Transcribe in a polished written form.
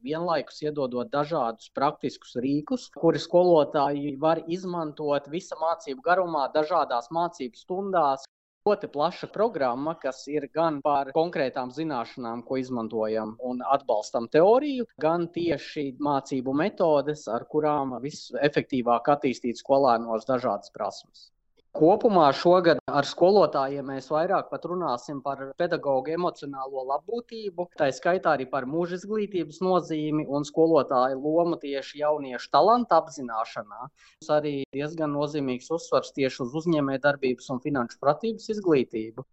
vienlaikus iedodot dažādus praktiskus rīkus, kuri skolotāji var izmantot visa mācību garumā, dažādās mācību stundās. Ļoti plaša programma, kas ir gan par konkrētām zināšanām, ko izmantojam un atbalstam teoriju, gan tieši mācību metodes, ar kurām visefektīvāk attīstīt skolēnos dažādas prasmes. Kopumā šogad ar skolotājiem mēs vairāk pat runāsim par pedagoģu emocionālo labbūtību, tā skaitā arī par mūža izglītības nozīmi un skolotāju lomu tieši jauniešu talantu apzināšanā. Arī diezgan nozīmīgs uzsvars tieši uz uzņēmējdarbības un finanšu pratības izglītību.